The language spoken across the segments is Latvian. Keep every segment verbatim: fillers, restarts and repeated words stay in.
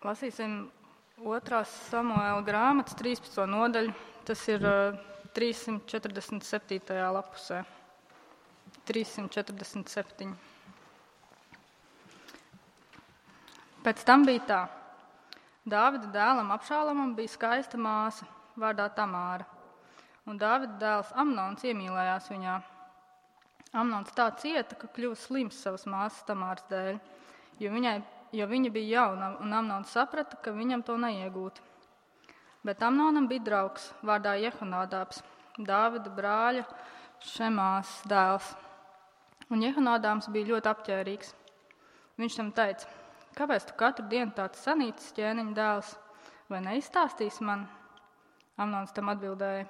Lasīsim otrās Samuēla grāmatas trīspadsmito nodaļu. Tas ir uh, trīssimt četrdesmit septītajā lapusē. trīssimt četrdesmit septiņi. Pēc tam bija tā. Dāvida dēlam Abšālamam bija skaista māsa, vārdā Tamāra. Un Dāvida dēls Amnons iemīlējās viņā. Amnons tā cieta, ka kļuva slims savas māsas Tamāras dēļ, jo, viņai, jo viņa bija jauna, un Amnons saprata, ka viņam to neiegūt. Bet Amnonam bija draugs, vārdā Jehonādābs, Dāvida brāļa Šemās dēls. Un Jehonādāms bija ļoti apķērīgs. Viņš tam teica: kāpēc tu katru dienu tāds sanīcis ķēniņa dēls, vai neizstāstīsi man? Amnons tam atbildēja: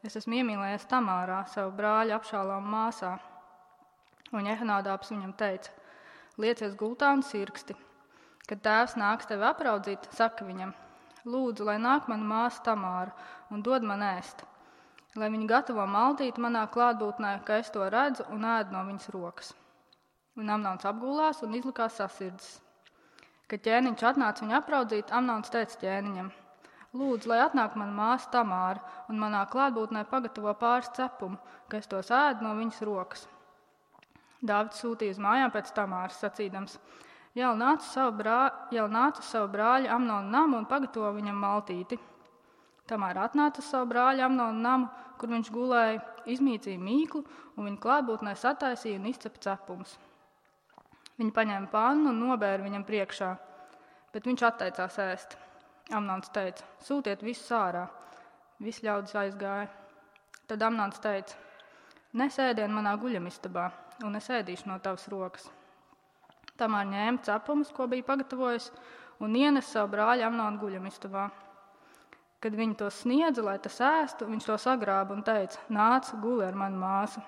es esmu iemīlējies Tamārā, savu brāļa Abšāloma māsā. Un Jehonādābs viņam teica: liecies gultā un sirksti. Kad tēvs nāks tevi apraudzīt, saka viņam: lūdzu, lai nāk mana māsa Tamāra un dod man ēst, lai viņa gatavo maldīt manā klātbūtnē, ka es to redzu un ēdu no viņas rokas. Un Amnons apgulās un izlikās sasirdzis. Kad ķēniņš atnāca viņu apraudzīt, Amnons teica ķēniņam: lūdzu, lai atnāk mana māsa Tamāra un manā klātbūtnē pagatavo pāris cepumu, ka es tos ēdu no viņas rokas. Dāvids sūtīja uz mājām pēc Tamāras, sacīdams: jau nāca savu, brā, jau nāca savu brāļu Amnonu namu un pagatavo viņam maltīti. Tamāra atnāca uz savu brāļu Amnonu namu, kur viņš gulēja, izmīcīja mīklu un viņa klātbūtnē sataisīja un izcepa cepumus. Viņa paņēma pannu un nobēra viņam priekšā, bet viņš atteicās ēst. Amnons teica: sūtiet visus ārā. Visi ļaudis aizgāja. Tad Amnons teica: nes ēdienu manā guļamistabā, un es ēdīšu no tavas rokas. Tamāra ņēma cepumus, ko bija pagatavojis, un ienes savu brāļu Amnonu guļamistabā. Kad viņi to sniedza, lai tas ēstu, viņš to sagrāba un teica: nāc, guli ar manu māsu.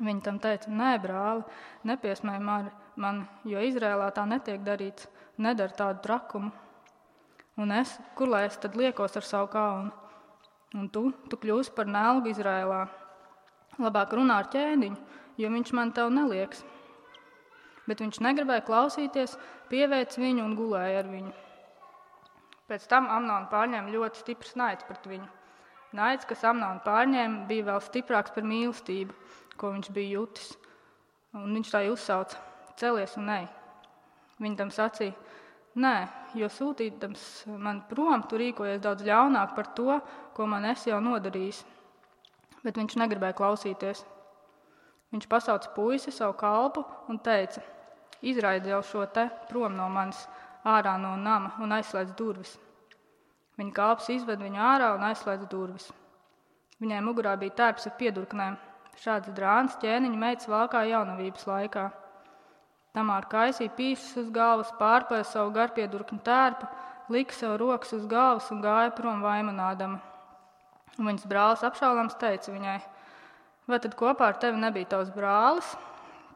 Viņa tam teica: nē, brāli, nepiesmēj man, jo Izrēlā tā netiek darīts, nedara tādu trakumu. Un es, kur lai es tad liekos ar savu kaunu? Un tu, tu kļūsi par nelgu Izrēlā. Labāk runā ar ķēniņu, jo viņš man tev nelieks. Bet viņš negribēja klausīties, pieveic viņu un gulēja ar viņu. Pēc tam Amnonu pārņēma ļoti stiprs naids pret viņu. Naids, kas Amnonu pārņēma, bija vēl stiprāks par mīlestību, ko viņš bija jutis. Un viņš tā uzsauca: celies un ej. Viņa tam sacīja: nē, jo sūtīdams man prom, tu rīkojies daudz ļaunāk par to, ko man esi jau nodarījis. Bet viņš negribēja klausīties. Viņš pasauca puisi, savu kalpu, un teica: izraidi jau šo te prom no manis, ārā no nama, un aizslēdz durvis. Viņa kalps izved viņu ārā un aizslēdz durvis. Viņai mugurā bija tērps ar piedurknēm. Šāds drāns ķēniņa meitas valkā jaunavības laikā. Tamāra kaisīja pīšus uz galvas, pārpēja savu garpiedurkņu tērpu, lika sev rokas uz galvas un gāja prom vaimanādama. Un viņas brālis Abšālams teica viņai: vai tad kopā ar tevi nebija tavs brālis?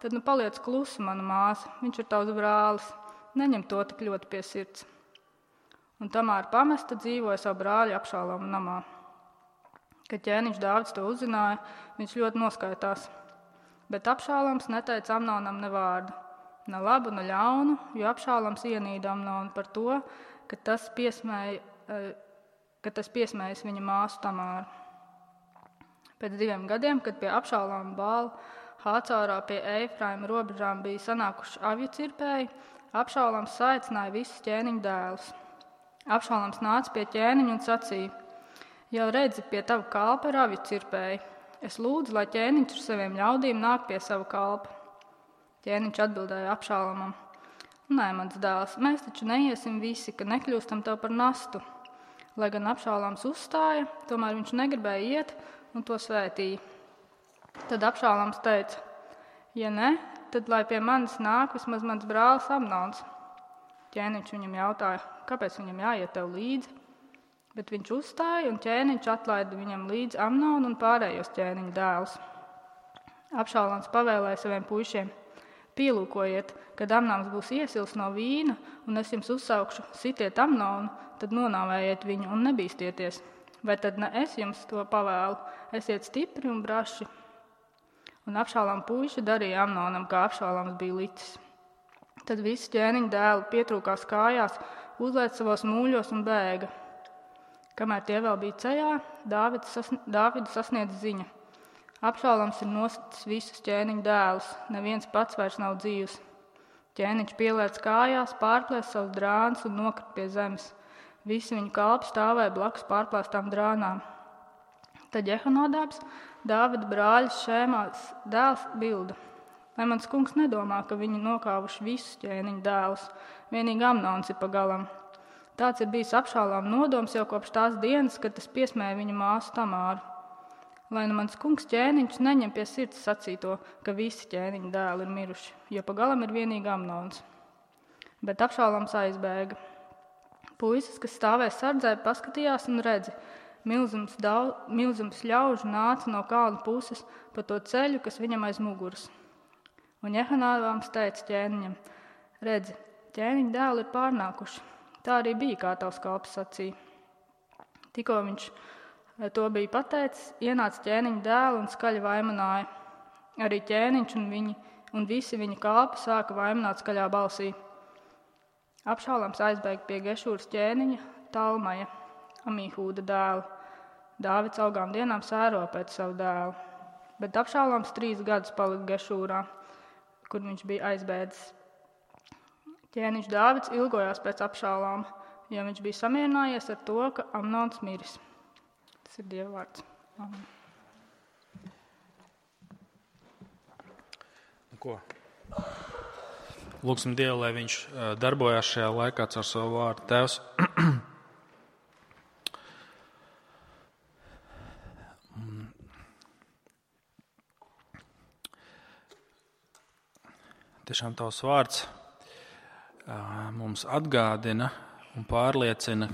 Tad nu paliec klusa, mana māsa, viņš ir tavs brālis, neņem to tik ļoti pie sirds. Un Tamāra pamesta dzīvoja savu brāļu Abšālama namā. Kad ķēniņš Dāvids to uzzināja, viņš ļoti noskaitās. Bet Abšālams neteica Amnonam ne vārdu, ne labu, ne ļaunu, jo Abšālams ienīda Amnonu par to, ka tas piesmēja, ka tas piesmējas viņa māsu Tamāru. Pēc diviem gadiem, kad pie Abšālama Bāla Hācorā pie Eifraima robežām bija sanākuši avju cirpēji, Abšālams saicināja visus ķēniņa dēlus. Abšālams nāca pie ķēniņa un sacīja: jau redzi, pie tava kalpa ir avju cirpēji. Es lūdzu, lai ķēniņš ar saviem ļaudīm nāk pie sava kalpa. Ķēniņš atbildēja Abšālamam: nē, mans dēls, mēs taču neiesim visi, ka nekļūstam tev par nastu. Lai gan Abšālams uzstāja, tomēr viņš negribēja iet un to svētīja. Tad Abšālams teica: ja ne, tad lai pie manis nāk vismaz mans brālis Amnons. Ķēniņš viņam jautāja: kāpēc viņam jāiet tev līdzi? Bet viņš uzstāja, un ķēniņš atlaida viņam līdzi Amnonu un pārējos ķēniņa dēlus. Abšālams pavēlēja saviem puišiem: pielūkojiet, kad Amnons būs iesils no vīna, un es jums uzsaukšu: sitiet Amnonu, tad nonāvējiet viņu un nebīstieties. Vai tad ne es jums to pavēlu? Esiet stipri un braši. Un Abšālama puiši darīja Amnonam, kā Abšālams bija licis. Tad visi ķēniņa dēli pietrūkās kājās, uzlēc savos mūļos un bēga. Kamēr tie vēl bija ceļā, Dāvidu sasn- Dāvidu sasniedz ziņa. Abšaloms ir nosacījis visus ķēniņa dēlus, neviens pats vairs nav dzīvs. Ķēniņš pielēc kājās, pārplēs savus drānus un nokrita pie zemes. Visi viņu kalpi stāvēja blakus pārplēstām drānām. Tad Jehonadabs, Dāvida brāļa Šēmās dēls, bilda: lai mans kungs nedomā, ka viņi nokāvuši visus ķēniņa dēlus, vienīgi Amnons ir pa galam. Tāds ir bijis Abšaloma nodoms jau kopš tās dienas, kad tas piesmēja viņa māsu Tamāru. Lai nu mans kungs ķēniņš neņem pie sirds sacīto, ka visi ķēniņa dēli ir miruši, jo pa galam ir vienīgi Amnons. Bet Abšaloms aizbēga. Puisis, kas stāvēja sardzē, paskatījās un redzi, milzums, daudz, milzums ļaužu nāca no kalna puses pa to ceļu, kas viņam aiz muguras. Un Jehonadabs teica ķēniņam: redzi, ķēniņa dēli ir pārnākuši. Tā arī bija, kā tavs kalps sacīja. Tikko viņš to bija pateicis, ienāca ķēniņa dēli un skaļi vaimanāja. Arī ķēniņš un, viņi, un visi viņa kalpi sāka vaimanāt skaļā balsī. Abšaloms aizbēga pie Gešūras ķēniņa Talmaja, Amihūda dēla. Dāvids augām dienām sēro pēc savu dēlu. Bet Abšaloms trīs gadus palika Gešūrā, kur viņš bija aizbēdzis. Ķēniņš Dāvids ilgojās pēc Abšaloma, jo viņš bija samierinājies ar to, ka Amnons miris. Tas ir Dieva vārds. Amen. Ko? Lūksim Dievu, lai viņš darbojās šajā laikā caur savu vārdu. Tēvs, tiešām tavs vārds mums atgādina un pārliecina,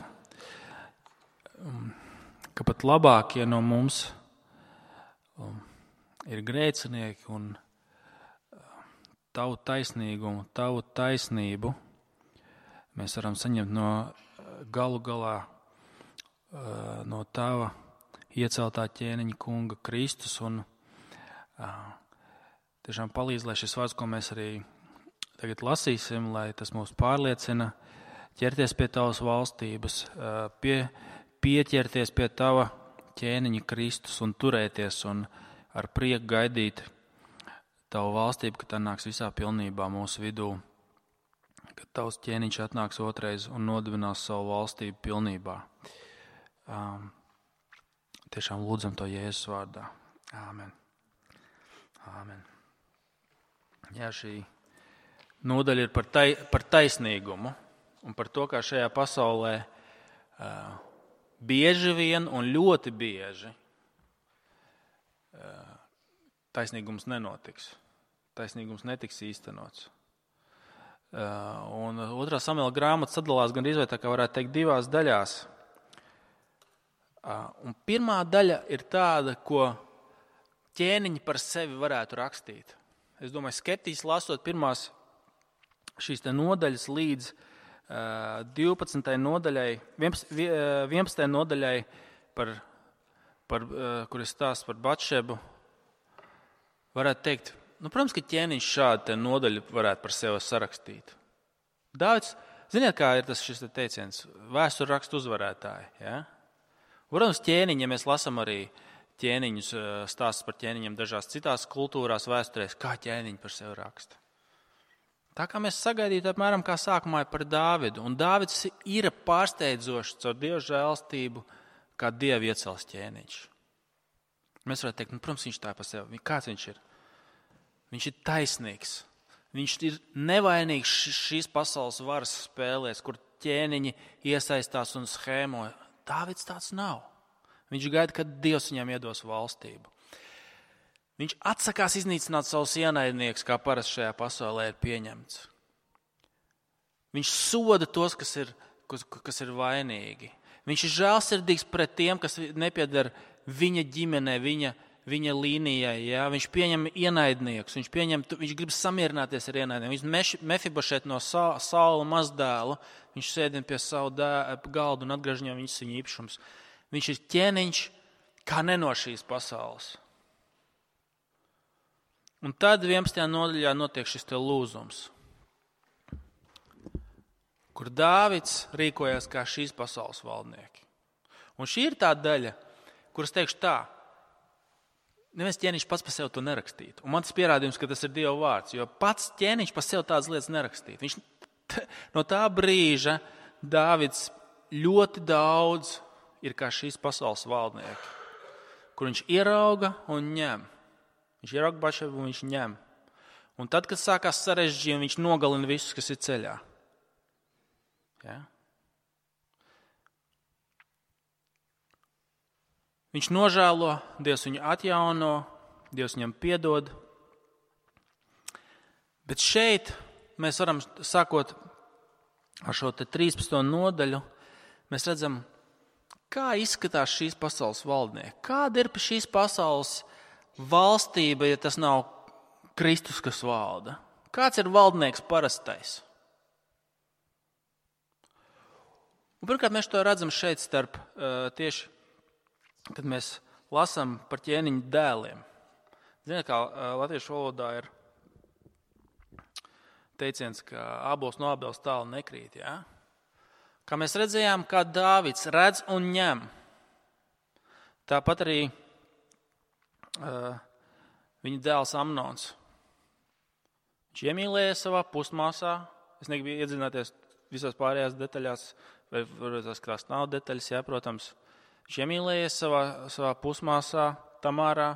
ka pat labākie no mums ir grēcinieki un tavu taisnīgumu, tavu taisnību mēs varam saņemt no galu galā no tava ieceltā ķēniņa kunga Kristus. Un tiešām palīdz, lai šis vārds, ko mēs arī tagad lasīsim, lai tas mūs pārliecina, ķerties pie tavas valstības, pie, pieķerties pie tava ķēniņa Kristus un turēties un ar prieku gaidīt tavu valstību, ka tā nāks visā pilnībā mūsu vidū, kad tavs ķēniņš atnāks otrais un nodibinās savu valstību pilnībā. Um, tiešām lūdzam to Jēzus vārdā. Āmen. Āmen. Jā, šī nodaļa ir par, tai, par taisnīgumu un par to, kā šajā pasaulē uh, bieži vien un ļoti bieži uh, taisnīgums nenotiks. Taisnīgums netiks īstenots. Uh, un otrā Samuela grāmata sadalās gan izvēr, tā kā varētu teikt, divās daļās. Uh, un pirmā daļa ir tāda, ko ķēniņi par sevi varētu rakstīt. Es domāju, skeptiski lasot pirmās šīs te nodaļas līdz uh, divpadsmitajai nodaļai, vienpadsmitajai nodaļai, par, par, uh, kur ir stāsts par Batšebu, varētu teikt, nu, protams, ka ķēniņš šādu nodaļu varētu par sevi sarakstīt. Dāvids, ziniet, kā ir tas šis te teiciens, vēsturu rakstu uzvarētāji. Ja? Protams, ķēniņi, ja mēs lasam arī ķēniņus, stāstus par ķēniņiem dažās citās kultūrās, vēsturēs, kā ķēniņi par sevi raksta. Tā kā mēs sagaidītu apmēram kā sākumā par Dāvidu. Un Dāvids ir pārsteidzošs caur Dieva žēlstību, kā Dieva iecels ķēniņš. Mēs varētu teikt, nu, protams, viņš tā par sevi. Kāds viņš ir? Viņš ir taisnīgs. Viņš ir nevainīgs šīs pasaules varas spēlēs, kur ķēniņi iesaistās un schēmo. Dāvids tāds nav. Viņš gaida, kad Dievs viņam iedos valstību. Viņš atsakās iznīcināt savus ienaidniekus, kā parasti šajā pasaulē ir pieņemts. Viņš soda tos, kas ir, kas, kas ir vainīgi. Viņš ir žēlsirdīgs pret tiem, kas nepieder viņa ģimenē, viņa viņa līnijai, jā, viņš pieņem ienaidniekus, viņš, pieņem, viņš grib samierināties ar ienaidniekiem. Viņš Mefibošet no Sa, Saula mazdēlu, viņš sēdina pie savu dā, galdu un atgriež viņam viņas viņa īpašums. Viņš ir ķēniņš kā ne no šīs pasaules. Un tad vienpadsmitajā nodaļā notiek šis te lūzums. kur Dāvids rīkojās kā šīs pasaules valdnieki. Un šī ir tā daļa, kuras teikšu tā, neviens ķēniņš pats par sevi to nerakstītu. Un man tas pierādījums, ka tas ir Dieva vārds, jo pats ķēniņš par sevi tādas lietas nerakstītu. Viņš no tā brīža Dāvids ļoti daudz ir kā šīs pasaules valdnieki, kur viņš ierauga un ņem. Viņš ierauga Bašebu un viņš ņem. Un tad, kad sākās sarežģījumi, viņš nogalina visus, kas ir ceļā. Ja? Viņš nožēlo, Dievs viņu atjauno, Dievs viņam piedod. Bet šeit mēs varam, sākot ar šo te trīspadsmito nodaļu, mēs redzam, kā izskatās šīs pasaules valdnieki. Kāda ir šīs pasaules valstība, ja tas nav Kristus, kas valda? Kāds ir valdnieks parastais? Un pirmkārt, mēs to redzam šeit starp tieši, kad mēs lasām par ķēniņu dēliem. Ziniet, kā latviešu valodā ir teiciens, ka ābols no ābeles tālu nekrīt, jā? Kā mēs redzējām, kā Dāvids redz un ņem. Tāpat arī uh, viņa dēls Amnons. Viņš iemīlēja savā pusmāsā. Es negribu iedzināties visās pārējās detaļās, vai varbūt tās nav detaļas, jā, protams. Viņš iemīlēja savā, savā pusmāsā Tamārā.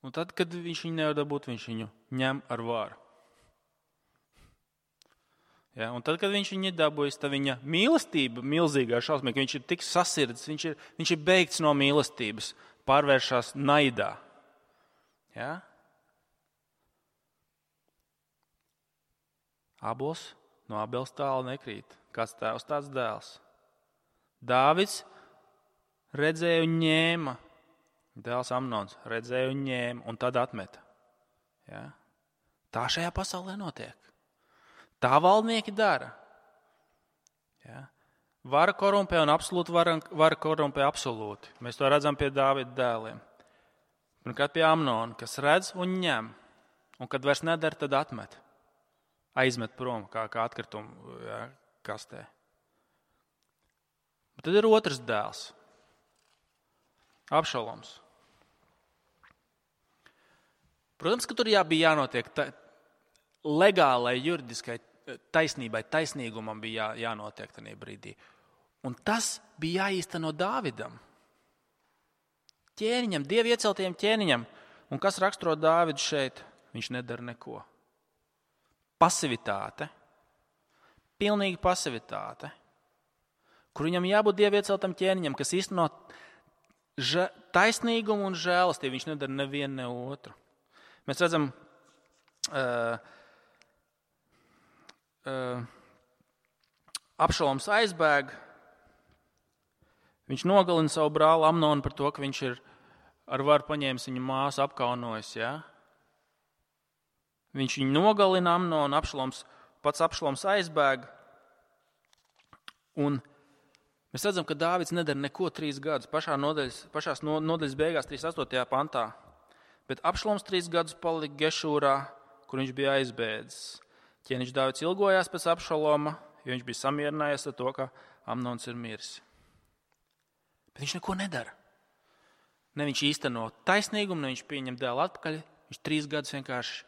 Un tad, kad viņš viņu nevar dabūt, viņš viņu ņem ar varu. Ja, un tad, kad viņš viņu ir dabūjis, tad viņa mīlestība, milzīgā šausmīga, viņš ir tik sasirds, viņš ir, viņš ir beigts no mīlestības, pārvēršās naidā. Ja? Ābols no ābeles tālu nekrīt. Kāds tēvs, tāds dēls. Dāvids redzēja un ņēma. Dēls Amnons redzēja un ņēma un tad atmeta. Ja? Tā šajā pasaulē notiek. Tā valdnieki dara. Ja? Vara korumpē un absolūti vara, vara korumpē absolūti. Mēs to redzam pie Dāvida dēliem. Pirmkārt pie Amnona, kas redz un ņem. Un kad vairs nedara, tad atmet. Aizmet prom kā, kā atkritumu, ja, kastē. Bet tad ir otrs dēls. Abšaloms. Protams, ka tur jā, bija jānotiek ta, legālai, juridiskai taisnībai, taisnīgumam bija jā, jānotiek tajā brīdī. Un tas bija jāīsteno Dāvidam. Ķēniņam, Dievu ieceltajam ķēniņam. Un kas raksturo Dāvidu šeit? Viņš nedara neko. Pasivitāte. Pilnīga pasivitāte. Kur viņam jābūt Dievu ieceltam ķēniņam, kas īsteno taisnīgumu un žēlastību. Viņš nedara nevienu ne otru. Mēs redzam, uh, uh, Abšaloms aizbēg, viņš nogalina savu brāli Amnonu par to, ka viņš ir ar varu paņēmis viņa māsu, apkaunojis. Ja? Viņš viņu nogalina Amnonu, Abšaloms, pats Abšaloms aizbēg. Un mēs redzam, ka Dāvids nedara neko trīs gadus. Pašā nodaļas, pašās nodaļas beigās, trīsdesmit astotajā pantā. Bet Abšaloms trīs gadus palika Gešūrā, kur viņš bija aizbēdzis. Ķēniņš Dāvids ilgojās pēc Abšaloma, jo viņš bija samierinājies ar to, ka Amnons ir miris. Bet viņš neko nedara. Ne viņš īsteno taisnīgumu, ne viņš pieņem dēlu atpakaļ. Viņš trīs gadus vienkārši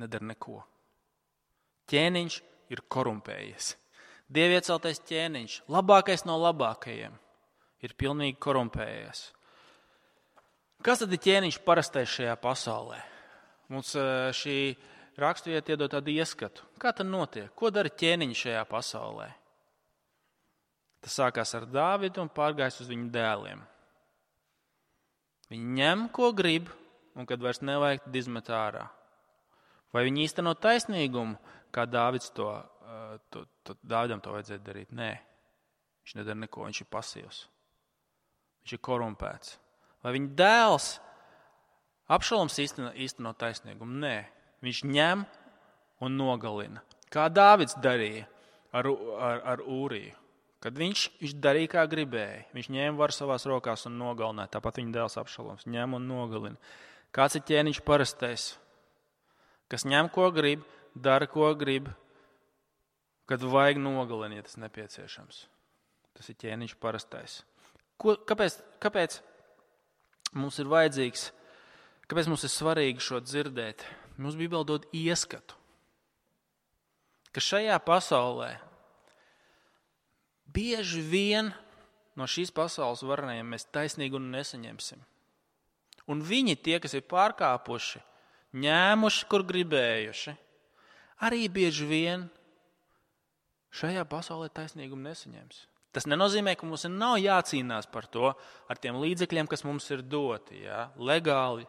nedara neko. Ķēniņš ir korumpējies. Dievu ieceltais ķēniņš, labākais no labākajiem, ir pilnīgi korumpējies. Kas tad ir ķēniņš parastais šajā pasaulē? Mums šī raksturvieta iedod tādu ieskatu. Kā tad notiek? Ko dara ķēniņš šajā pasaulē? Tas sākās ar Dāvidu un pārgājis uz viņu dēliem. Viņi ņem, ko grib, un kad vairs nevajag, tad izmet ārā. Vai viņi īsteno taisnīgumu, kā Dāvids to, to, to, Dāvidam to vajadzēja darīt? Nē, viņš nedara neko, viņš ir pasīvs. Viņš ir korumpēts. Vai viņa dēls Abšaloms īsteno, īsteno taisnīgumu? Nē, viņš ņem un nogalina. Kā Dāvids darīja ar, ar, ar Ūriju. Kad viņš, viņš darīja, kā gribēja. Viņš ņēma varu savās rokās un nogalināja. Tāpat viņa dēls Abšaloms ņem un nogalina. Kāds ir ķēniņš parastais? kas ņem, ko grib, dara, ko grib, kad vajag nogalina, ja tas nepieciešams. Tas ir ķēniņš parastais. Ko, kāpēc, kāpēc mums ir vajadzīgs, kāpēc mums ir svarīgi šo dzirdēt? Mums Bībele dod ieskatu, ka šajā pasaulē bieži vien no šīs pasaules varenajiem mēs taisnīgumu nesaņemsim. Un viņi, tie, kas ir pārkāpuši, ņēmuši, kur gribējuši, arī bieži vien šajā pasaulē taisnīgumu nesaņems. Tas nenozīmē, ka mums nav jācīnās par to ar tiem līdzekļiem, kas mums ir doti, ja? Legāli.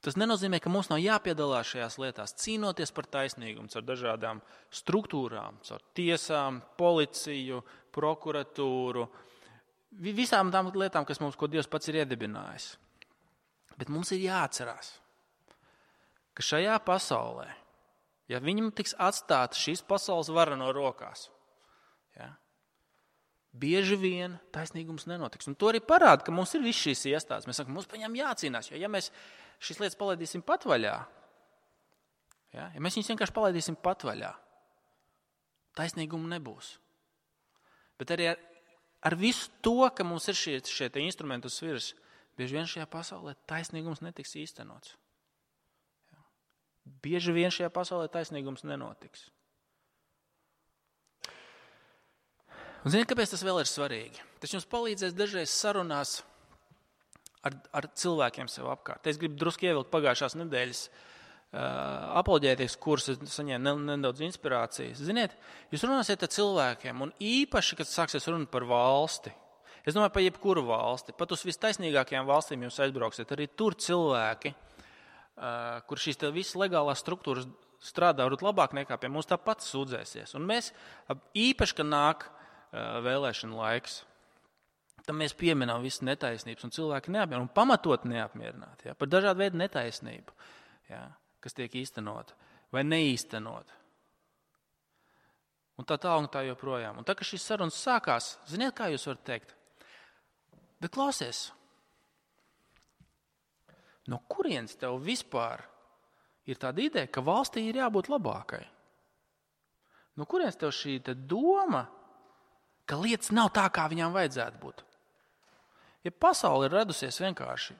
Tas nenozīmē, ka mums nav jāpiedalās šajās lietās, cīnoties par taisnīgumu caur dažādām struktūrām, caur tiesām, policiju, prokuratūru, visām tām lietām, kas mums, ko Dievs pats ir iedibinājis. Bet mums ir jāatcerās, ka šajā pasaulē, ja viņam tiks atstāta šīs pasaules vara no rokās, ja, bieži vien taisnīgums nenotiks. Un to arī parāda, ka mums ir viss šīs iestādes. Mēs sakam, mums par viņām jācīnās, jo ja mēs šīs lietas palaidīsim patvaļā, ja, ja mēs viņus vienkārši palaidīsim patvaļā, taisnīgumu nebūs. Bet arī ar, ar visu to, ka mums ir šie, šie instrumenti uz sviras, bieži vien šajā pasaulē taisnīgums netiks īstenots. Ja. Bieži vien šajā pasaulē taisnīgums nenotiks. Un ziniet, kāpēc tas vēl ir svarīgi? Tas jums palīdzēs dažreiz sarunās ar, ar cilvēkiem sev apkārt. Es gribu drusku ievilkt pagājušās nedēļas uh, apoloģētikas kursu, saņēmu nedaudz inspirācijas. Ziniet, jūs runāsiet ar cilvēkiem, un īpaši, kad sāksies runāt par valsti, es domāju par jebkuru valsti, pat uz vistaisnīgākajām valstīm jūs aizbrauksiet, arī tur cilvēki, uh, kur šīs visas legālās struktūras strādā varbūt labāk nekā pie mums, tāpat sūdzēsies. Un mēs īpaši, kad nāk vēlēšana laiks, tad mēs pieminām visas netaisnības, un cilvēki neapmierināti, un pamatot neapmierināti, ja, par dažādu veidu netaisnību, ja, kas tiek īstenota vai neīstenota. Un tā tā un tā joprojām. Un tā, ka šīs sarunas sākās, ziniet, kā jūs varat teikt? Bet klausies, no kurienes tev vispār ir tāda ideja, ka valstī ir jābūt labākai? No kurienes tev šī doma, ka lietas nav tā, kā viņām vajadzētu būt? Ja pasaule ir radusies vienkārši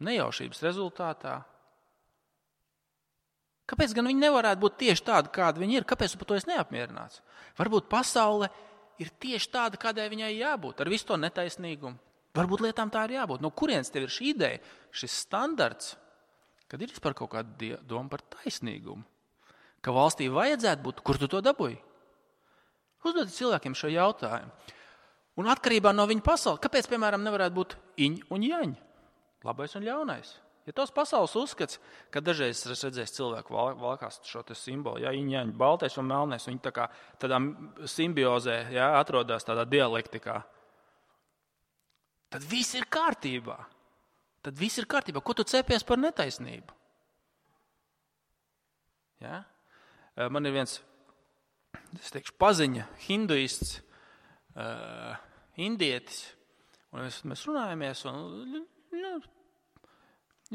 nejaušības rezultātā, kāpēc gan viņi nevarētu būt tieši tādi, kādi viņi ir? Kāpēc tu par to esi neapmierināts? Varbūt pasaule ir tieši tāda, kādai viņai jābūt, ar visu to netaisnīgumu. Varbūt lietām tā ir jābūt. No kurienes tev ir šī ideja, šis standarts, kad ir vispār kaut kāda doma par taisnīgumu? Ka valstī vajadzētu būt, kur tu to dabūji? Uzdodiet cilvēkiem šo jautājumu. Un atkarībā no viņa pasaules, kāpēc, piemēram, nevarētu būt iņ un jaņ, labais un ļaunais? Ja tos pasaules uzskats, ka dažreiz es redzēju cilvēku valkās šo te simbolu, ja, iņ, jaņ, baltais un melnais, viņi tā kā tādā simbiozē, ja, atrodas tādā dialektikā, tad viss ir kārtībā. Tad viss ir kārtībā. Ko tu cepies par netaisnību? Ja? Man ir viens, es teikšu, paziņa, hinduists, uh, indietis, un mēs, mēs runājamies, un, nu,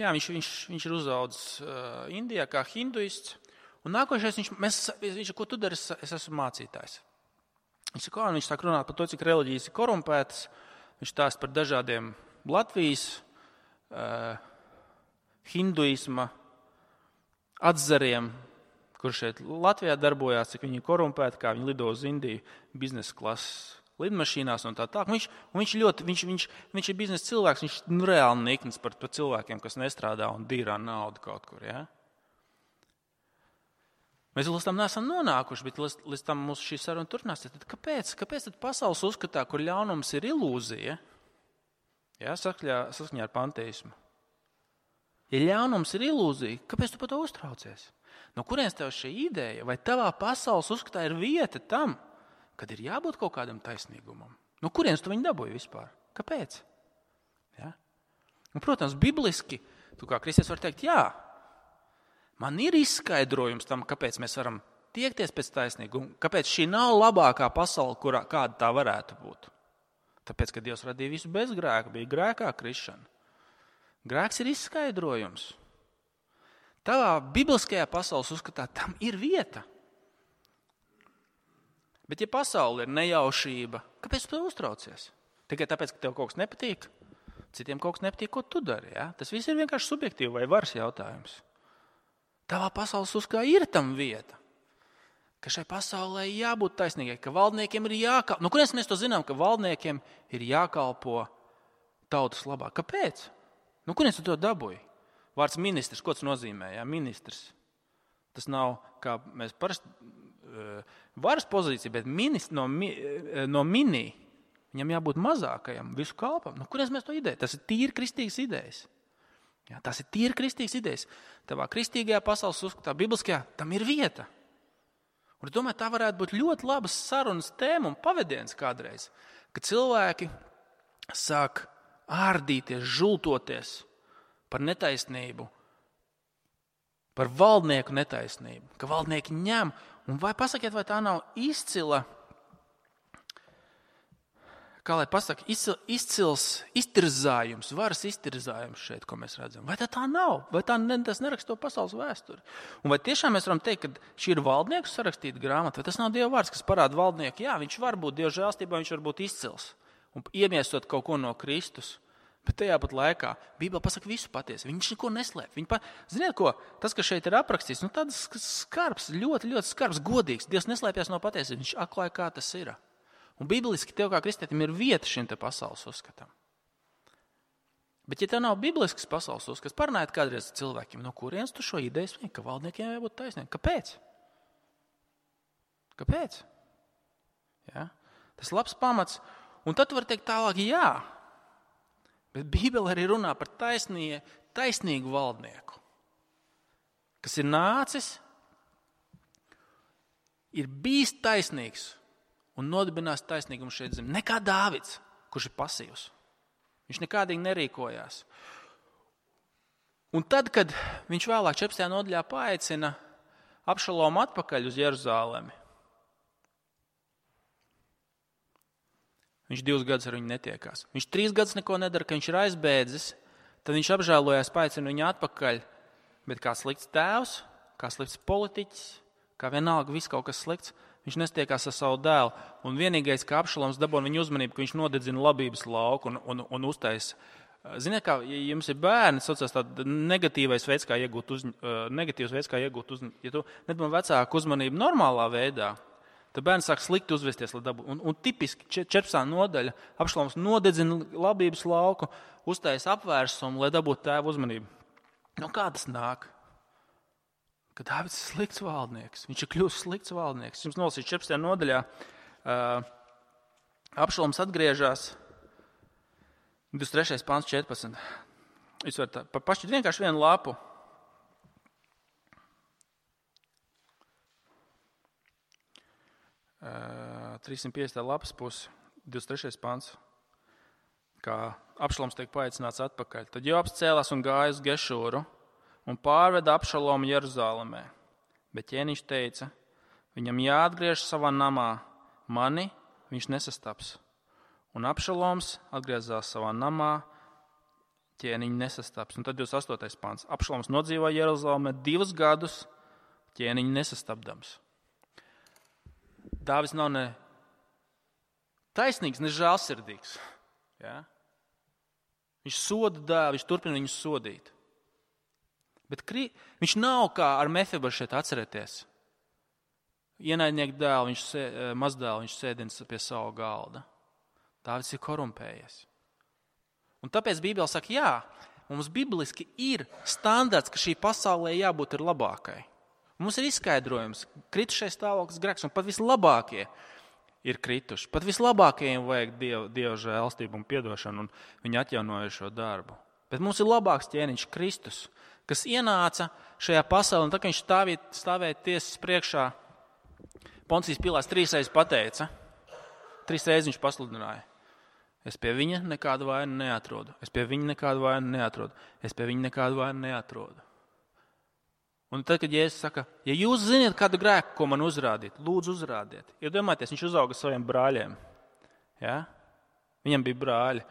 jā, viņš, viņš, viņš ir uzaudzis uh, Indijā kā hinduists, un nākošais, viņš, mēs, viņš, ko tu dari, es, es esmu mācītājs. Viņš, kā, viņš sāk runāt par to, cik reliģijas ir korumpētas, viņš stāsta par dažādiem Latvijas, uh, hinduisma atzariem, kur šeit Latvijā darbojās, cik viņi ir korumpēti, kā viņi lido uz Indiju biznesa klases lidmašīnās un tā tā. Viņš, un viņš, ļoti, viņš, viņš, viņš ir biznesa cilvēks, viņš nu, reāli nikns par, par cilvēkiem, kas nestrādā un dīrā naudu kaut kur. Ja? Mēs līdz tam neesam nonākuši, bet līdz, līdz tam mums šī saruna turpinās. Tad kāpēc? Kāpēc tad pasaules uzskatā, kur ļaunums ir ilūzija, ja? Saskaņā ar panteismu? Ja ļaunums ir ilūzija, kāpēc tu par to uztraucies? No kurienes tev šī ideja, vai tavā pasaules uzskatā ir vieta tam, kad ir jābūt kaut kādam taisnīgumam? No kurienes tu viņu dabūji vispār? Kāpēc? Ja? Un, protams, bibliski, tu kā kristietis var teikt, jā, man ir izskaidrojums tam, kāpēc mēs varam tiekties pēc taisnīguma, kāpēc šī nav labākā pasaule, kurā, kāda tā varētu būt. Tāpēc, ka Dievs radīja visu bez grēka, bija grēkā krišana. Grēks ir izskaidrojums. Tavā bibliskajā pasaules uzskatā tam ir vieta. Bet ja pasaule ir nejaušība, kāpēc tu uztraucies? Tikai tāpēc, ka tev kaut kas nepatīk? Citiem kaut kas nepatīk, ko tu dari. Ja? Tas viss ir vienkārši subjektīvi vai varas jautājums. Tavā pasaules uzskatā ir tam vieta. Ka šai pasaulē jābūt taisnīgai, ka valdniekiem ir jākalpo. Nu, kurienes mēs to zinām, ka valdniekiem ir jākalpo tautas labā? Kāpēc? Nu, kurienes tu to dabūji? Vārds ministrs, ko tas nozīmē? Jā, ministrs. Tas nav, kā mēs parasti, varas pozīcija, bet ministrs no, no minī. Viņam jābūt mazākajam, visu kalpam. Nu, kurienes mēs to ideju? Tas ir tīri kristīgas idejas. Jā, tas ir tīri kristīgas idejas. Tavā kristīgajā pasaules uzskatā, bibliskajā, tam ir vieta. Un es domāju, tā varētu būt ļoti labas sarunas tēma un pavadiens kādreiz, kad cilvēki sāk ārdīties, žultoties par netaisnību, par valdnieku netaisnību, ka valdnieki ņem. Un vai pasakiet, vai tā nav izcila, kā lai pasaka, izcil, izcils iztirzājums, varas iztirzājums šeit, ko mēs redzam. Vai tā tā nav? Vai tā ne, tas neraksta to pasaules vēsturi? Un vai tiešām mēs varam teikt, ka šī ir valdnieku sarakstīta grāmata, vai tas nav Dieva vārds, kas parāda valdnieku? Jā, viņš var būt Dieva žēlstībā, viņš var būt izcils un iemiesot kaut ko no Kristus. Bet tajā pat laikā Bībele pasaka visu patiesi. Viņš neko neslēp. Pa... Ziniet, ko? Tas, kas šeit ir aprakstīts, nu tāds skarbs, ļoti, ļoti skarbs, godīgs. Dievs neslēpjas no patiesības. Viņš atklāja, kā tas ir. Un bibliski tev kā kristietim ir vieta šim te pasaules uzskatam. Bet ja tev nav biblisks pasaules uzskats, parunājiet kādreiz cilvēkiem, no kurienes tu šo ideju sniedz, ka valdniekiem jābūt taisniem. Kāpēc? Kāpēc? Ja? Tas ir labs pamats. Un tad tu vari teikt tālāk, jā. Bet Bībele arī runā par taisnie, taisnīgu valdnieku, kas ir nācis, ir bijis taisnīgs un nodibinās taisnīgumu šeit zem. Nekā Dāvids, kurš ir pasīvs. Viņš nekādīgi nerīkojās. Un tad, kad viņš vēlāk četrpadsmitajā nodaļā paaicina Abšalomu atpakaļ uz Jeruzālemi, viņš divus gadus ar viņu netiekās. Viņš trīs gadus neko nedara, ka viņš ir aizbēdzis, tad viņš apžēlojās, paaicina viņu atpakaļ. Bet kā slikts tēvs, kā slikts politiķis, kā vienalga viss kaut kas slikts, viņš nestiekās ar savu dēlu. Un vienīgais, kā Abšaloms dabūna viņu uzmanību, ka viņš nodedzina labības lauku un, un, un uztaisa. Ziniet, kā, ja jums ir bērni, saucās tāda negatīvais veids, kā iegūt uz, negatīvs veids, kā iegūt uz, ja tu nedabūna vecāku uzmanību normālā veidā, tad bērns sāk slikti uzvesties. Un, un tipiski četrpadsmitā nodaļa Abšaloms nodedzina labības lauku, uztaisa apvērsumu, lai dabūtu tēvu uzmanību. Nu, kā tas nāk? Ka Dāvids ir slikts valdnieks. Viņš ir kļūst slikts valdnieks. Jums nolasīju četrpadsmitajā nodaļā. Uh, Abšaloms atgriežas. divdesmit trešais pants četrpadsmit. Jūs varat pa pašķiet vienkārši vienu lapu. Uh, trīssimt piecdesmitā lapas pusi, divdesmit trešais pants. Kā Abšaloms tiek paaicināts atpakaļ. Tad Joabs cēlās un gāja uz Gešūru un pārveda Abšalomu Jeruzālemē. Bet ķēniņš teica, viņam jāatgriež savā namā, mani viņš nesastaps. Un Abšaloms atgriezās savā namā, ķēniņu nesastaps. Un tad divdesmit astotais pants. Abšaloms nodzīvoja Jeruzālemē divus gadus, ķēniņu nesastapdams. Dāvids nav ne taisnīgs, ne žēlsirdīgs. Ja? Viņš soda dēlu, viņš turpina viņu sodīt. Bet kri... viņš nav kā ar Mefibošetu atcerēties. Ienaidnieku dēlu, viņš sē... mazdēlu, viņš sēdins pie savu galda. Dāvids ir korumpējies. Un tāpēc Bībele saka, jā, mums bibliski ir standarts, ka šī pasaulē jābūt ir labākai. Mums ir izskaidrojums, kritušais stāvoklis grēks, un pat vislabākie ir krituši. Pat vislabākajiem vajag Dieva, Dieva žēlstību un piedošanu, un viņi atjaunoja šo darbu. Bet mums ir labāks ķēniņš Kristus, kas ienāca šajā pasaulē, un tā, ka viņš stāvēja, stāvēja tiesas priekšā, Poncijas Pilāts trīs reizes pateica, trīs reizes viņš pasludināja. Es pie viņa nekādu vainu neatrodu, es pie viņa nekādu vainu neatrodu, es pie viņa nekādu vainu neatrodu. Un tad, kad Jēzus saka, ja jūs ziniet kādu grēku, ko man uzrādīt, lūdzu uzrādiet. Iedomājieties, viņš uzauga saviem brāļiem. Ja? Viņam bija brāļi.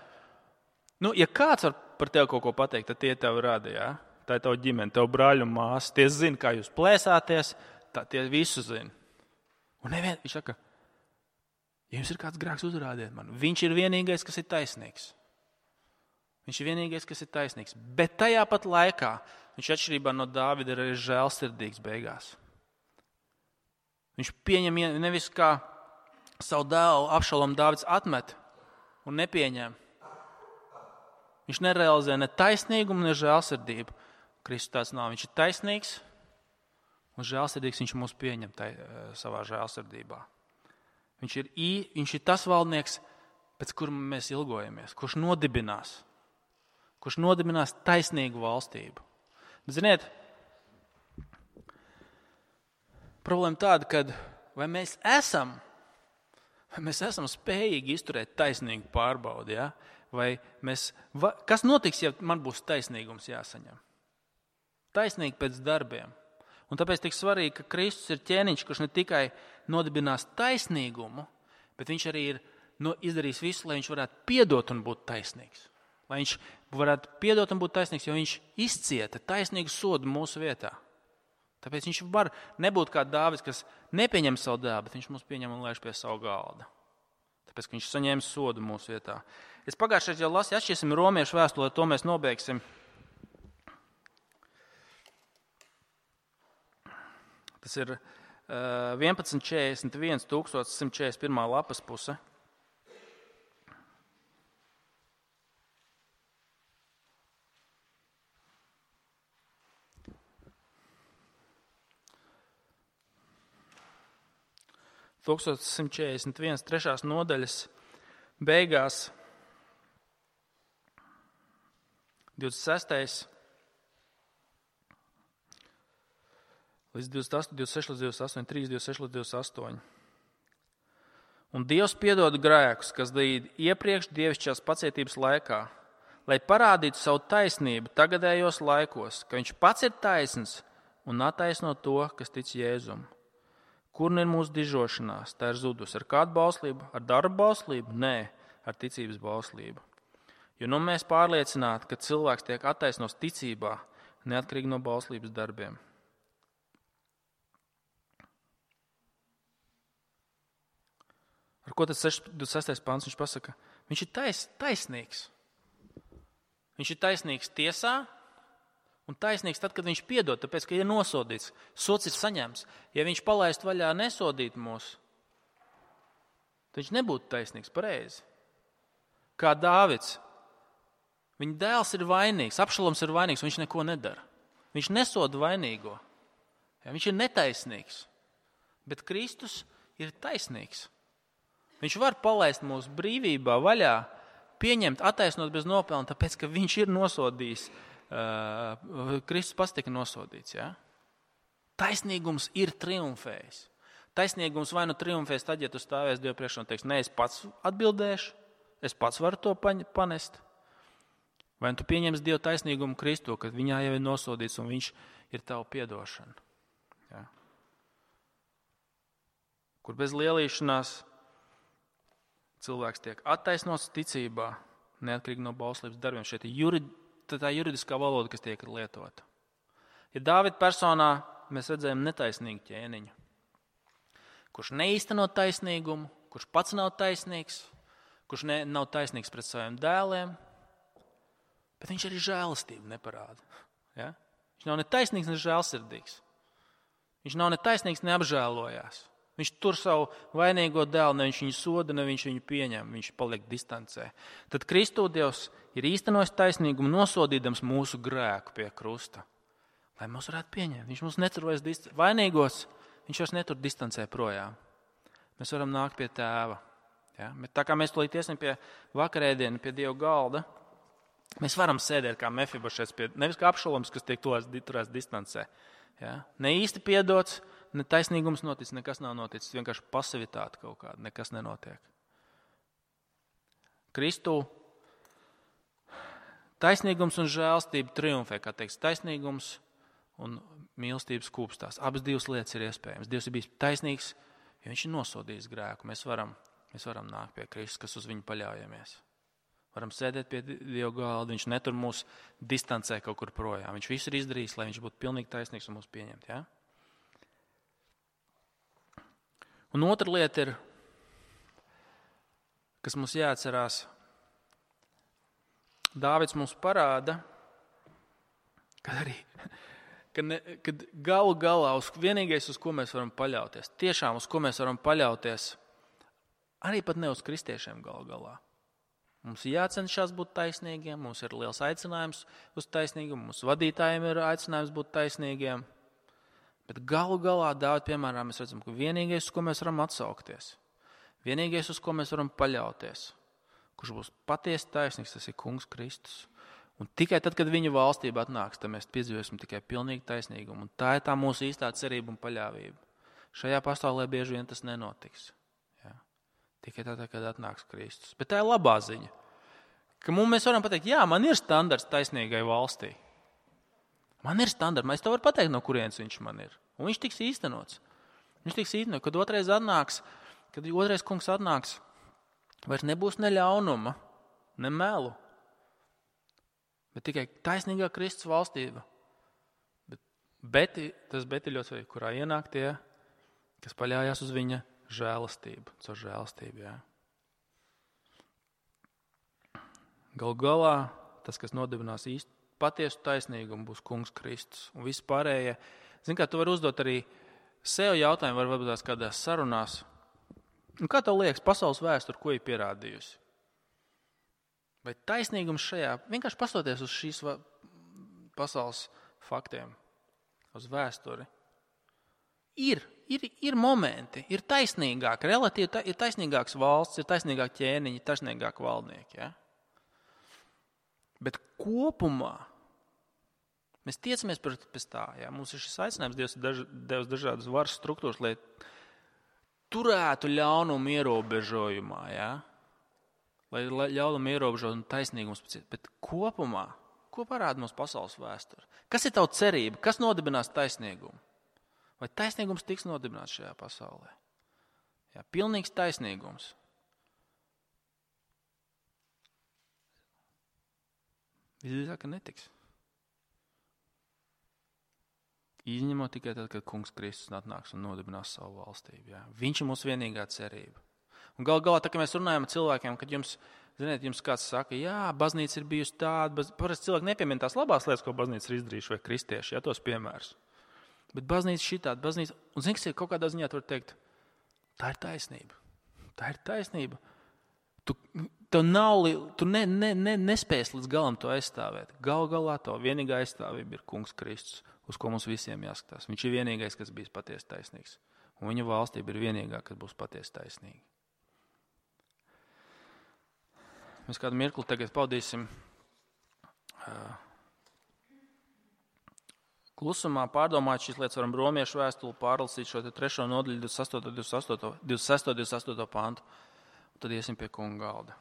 Nu, ja kāds var par tevi kaut ko pateikt, tad tie tevi rada. Ja? Tā ir tava ģimene, tev brāļi un māsas. Tie zina, kā jūs plēsāties, tā, tie visu zina. Un nevien, viņš saka, ja jums ir kāds grēks, uzrādiet man. Viņš ir vienīgais, kas ir taisnīgs. Viņš ir vienīgais, kas ir taisnīgs. Bet tajā pat laikā viņš atšķirībā no Dāvida ir arī žēlsirdīgs beigās. Viņš pieņem nevis kā savu dēlu Abšalomu Dāvids atmet un nepieņem. Viņš nerealizē ne taisnīgumu, ne žēlsirdību. Kristus tāds nav. Viņš ir taisnīgs un žēlsirdīgs. Viņš mūs pieņem tai, savā žēlsirdībā. Viņš ir, ī, viņš ir tas valdnieks, pēc kura mēs ilgojamies, kurš nodibinās, kurš nodibinās taisnīgu valstību. Bet, ziniet, problēma tāda, ka vai mēs esam, vai mēs esam spējīgi izturēt taisnīgu pārbaudi, ja? Vai mēs, va, kas notiks, ja man būs taisnīgums jāsaņem? Taisnīgi pēc darbiem. Un tāpēc tik svarīgi, ka Kristus ir ķēniņš, kurš ne tikai nodibinās taisnīgumu, bet viņš arī ir no, izdarījis visu, lai viņš varētu piedot un būt taisnīgs. Lai viņš varētu piedot un būt taisnīgs, jo viņš izcieta taisnīgu sodu mūsu vietā. Tāpēc viņš var nebūt kā Dāvids, kas nepieņem savu dēlu, bet viņš mūs pieņem un lēš pie savu galda. Tāpēc, ka viņš saņēma sodu mūsu vietā. Es pagājušajā jau lasīju, atšķirsim romiešu vēstuli, to mēs nobeigsim. Tas ir vienpadsmit četrdesmit viens tūkstoš simt četrdesmit pirmā lapas puse. tūkstoš simt četrdesmit viens trešās nodaļas beigās divdesmit sestais līdz divdesmit astoņi, divdesmit seši līdz divdesmit astoņi, trīs, divdesmit seši līdz divdesmit astoņi. Un Dievs piedod grēkus, kas darīti iepriekš dievišķās pacietības laikā, lai parādītu savu taisnību tagadējos laikos, ka viņš pats ir taisns un attaisno to, kas tic Jēzum. Kur ir mūsu dižošanās? Tā ir zudus. Ar kādu bauslību? Ar darbu bauslību? Nē, ar ticības bauslību. Jo nu mēs pārliecināti, ka cilvēks tiek attaisnos ticībā, neatkarīgi no bauslības darbiem. Ar ko tad divdesmit sestais pants viņš pasaka? Viņš ir tais, taisnīgs. Viņš ir taisnīgs tiesā un taisnīgs tad, kad viņš piedod, tāpēc, ka ir nosodīts. Sods ir saņemts. Ja viņš palaist vaļā nesodīt mūs, tad viņš nebūtu taisnīgs pareizi. Kā Dāvids. Viņa dēls ir vainīgs, Abšaloms ir vainīgs, un viņš neko nedara. Viņš nesoda vainīgo. Ja, viņš ir netaisnīgs. Bet Kristus ir taisnīgs. Viņš var palaist mūsu brīvībā vaļā, pieņemt, attaisnot bez nopelna, tāpēc, ka viņš ir nosodījis. Uh, Kristus pats tika nosodīts. Ja? Taisnīgums ir triumfējis. Taisnīgums vai nu triumfēs tad, ja tu stāvēs Dievu priekšā un teiks, ne, es pats atbildēšu, es pats varu to panest. Vai tu pieņems Dievu taisnīgumu Kristu, kad viņā jau ir nosodīts un viņš ir tavu piedošana. Ja? Kur bez lielīšanās cilvēks tiek attaisnots ticībā, neatkarīgi no bauslības darbiem. Šeit ir jurid, tā juridiskā valoda, kas tiek lietota. Ja Dāvida personā mēs redzējām netaisnīgu ķēniņu, kurš neīsteno taisnīgumu, kurš pats nav taisnīgs, kurš ne, nav taisnīgs pret saviem dēliem, bet viņš arī žēlastību neparāda. Ja? Viņš nav ne taisnīgs, ne žēlsirdīgs. Viņš nav ne taisnīgs, ne apžēlojās. Viņš tur savu vainīgo dēlu, ne viņš viņu soda, ne viņš viņu pieņem, viņš paliek distancē. Tad Kristu Dievs ir īstenojis taisnīgumu, nosodīdams mūsu grēku pie krusta, lai mūs varētu pieņemt. Viņš mums netur vairs dist... vainīgos, viņš vairs netur distancē projām. Mēs varam nākt pie tēva. Ja? Bet tā kā mēs tulīt iesim pie vakarēdiena, pie Dieva galda, mēs varam sēdēt kā Mefibošets, pie, nevis kā Abšaloms, kas tiek turēts distancē. Ja? Ne īsti piedots, ne taisnīgums noticis, nekas nav noticis, vienkārši pasivitāte kaut kāda, nekas nenotiek. Kristu taisnīgums un žēlstība triumfē, kā teiks, taisnīgums un mīlestības kūpstās. Abas divas lietas ir iespējams. Dievs ir bijis taisnīgs, jo viņš ir nosodījis grēku. Mēs varam, mēs varam nākt pie Kristus, kas uz viņu paļaujamies. Varam sēdēt pie Dieva galda, viņš netur mūs distancē kaut kur projām. Viņš visu ir izdarījis, lai viņš būtu pilnīgi taisnīgs un mūs pieņemt. Ja? Un otra lieta ir, kas mums jāatcerās, Dāvids mums parāda, kad arī, kad, ne, kad galu galā uz vienīgais, uz ko mēs varam paļauties, tiešām uz ko mēs varam paļauties, arī pat ne uz kristiešiem galu galā. Mums ir jācenšas būt taisnīgiem, mums ir liels aicinājums uz taisnīgumu, mūsu vadītājiem ir aicinājums būt taisnīgiem. Bet galu galā, Dāvid, piemēram, mēs redzam, ka vienīgais, uz ko mēs varam atsaukties, vienīgais, uz ko mēs varam paļauties, kurš būs patiesi taisnīgs, tas ir Kungs Kristus. Un tikai tad, kad viņa valstība atnāks, tad mēs piedzīvosim tikai pilnīgi taisnīgumu. Un tā ir tā mūsu īstā cerība un paļāvība. Šajā pasaulē bieži vien tas nenotiks. Tikai tad, kad atnāks Kristus. Bet tā ir labā ziņa, ka mums mēs varam pateikt, jā, man ir standarts taisnīgai valstī. Man ir standarts, es to varu pateikt, no kurienes viņš man ir. Un viņš tiks īstenots. Viņš tiks īstenots, kad otrais atnāks, kad otrais kungs atnāks, vairs nebūs ne ļaunuma, ne melu, bet tikai taisnīgā Kristus valstība. Bet, bet tas bet ir ļoti svarīgi, kurā ienāk tie, kas paļājās uz viņa žēlastību, caur žēlastību, jā. Galu galā tas, kas nodibinās īsti patiesu taisnīgumu, būs Kungs Kristus. Un viss pārējie, zin kā, tu vari uzdot arī sev jautājumu, var varbūt tās kādās sarunās. Un kā tev liekas, pasaules vēsture, ko ir pierādījusi? Vai taisnīgums šajā, vienkārši pastoties uz šīs pasaules faktiem, uz vēsturi, ir Ir, ir momenti, ir taisnīgāk, relatīvi ta, ir taisnīgāks valsts, ir taisnīgāk ķēniņi, ir taisnīgāk valdnieki. Ja? Bet kopumā mēs tiecamies pēc tā. Ja? Mums ir šis aicinājums, Dievs ir daž, devis dažādas varas struktūras, lai turētu ļaunumu ierobežojumā. Ja? Lai ļaunumu ierobežojumu un taisnīgums. Bet kopumā, ko parāda mums pasaules vēsture? Kas ir tava cerība? Kas nodibinās taisnīgumu? Vai taisnīgums tiks nodibināts šajā pasaulē? Jā, pilnīgs taisnīgums. Visdrīzāk, ka netiks. Izņemot tikai tad, kad Kungs Kristus atnāks un nodibinās savu valstību. Jā. Viņš ir mūsu vienīgā cerība. Un gal galā, tā kā mēs runājam ar cilvēkiem, kad jums, ziniet, jums kāds saka, jā, baznīca ir bijusi tāda, parasti cilvēki nepiemin tās labās lietas, ko baznīca ir izdarījuši vai kristieši, jā, tos piemērus. Bet baznīca šitāda, baznīca, un zini, kas ir kaut kādā ziņā, tu var teikt, tā ir taisnība. Tā ir taisnība. Tu, tu, nav, tu ne, ne, ne, nespēsi līdz galam to aizstāvēt. Gal galā to vienīgā aizstāvība ir Kungs Kristus, uz ko mums visiem jāskatās. Viņš ir vienīgais, kas bijis patiesi taisnīgs. Un viņa valstība ir vienīgā, kas būs patiesi taisnīga. Mēs kādu mirkli tagad paudīsim uh, klusumā, pārdomāt šīs lietas, varam romiešu vēstuli pārlasīt šo trešo nodaļu, divdesmit sesto, divdesmit astoto, divdesmit sesto, divdesmit astoto pantu, un tad iesim pie kunga galda.